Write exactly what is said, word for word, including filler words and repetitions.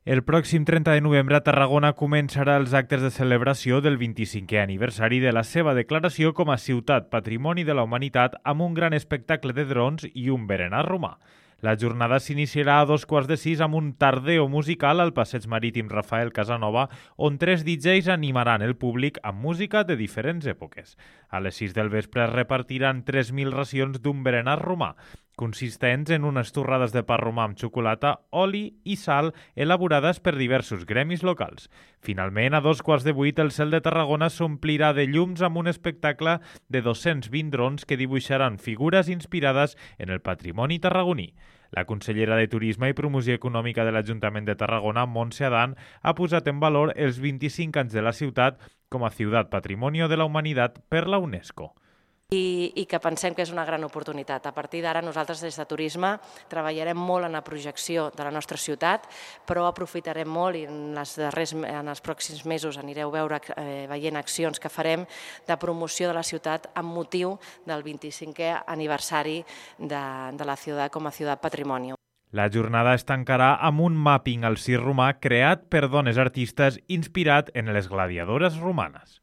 El pròxim trenta de novembre a Tarragona començarà els actes de celebració del vint-i-cinquè aniversari de la seva declaració com a Ciutat Patrimoni de la Humanitat amb un gran espectacle de drons i un berenar romà. La jornada s'iniciarà a dos quarts de sis amb un tardeo musical al passeig marítim Rafael Casanova, on tres D Js animaran el públic amb música de diferents èpoques. A les sis del vespre es repartiran tres mil racions d'un berenar romà, consistents en unes torrades de pa romà amb xocolata, oli i sal elaborades per diversos gremis locals. Finalment, a dos quarts de vuit, el cel de Tarragona s'omplirà de llums amb un espectacle de dos-cents vint drons que dibuixaran figures inspirades en el patrimoni tarragoní. La consellera de Turisme i Promoció Econòmica de l'Ajuntament de Tarragona, Montse Adán, ha posat en valor els vint-i-cinc anys de la ciutat com a Ciutat Patrimonio de la Humanitat per la UNESCO. I, i que pensem que és una gran oportunitat. A partir d'ara nosaltres des de Turisme treballarem molt en la projecció de la nostra ciutat, però aprofitarem molt i en, les darrers, en els pròxims mesos anireu veure, eh, veient accions que farem de promoció de la ciutat amb motiu del vint-i-cinquè aniversari de, de la ciutat com a Ciutat Patrimoni. La jornada es tancarà amb un mapping al circ romà creat per dones artistes inspirat en les gladiadores romanes.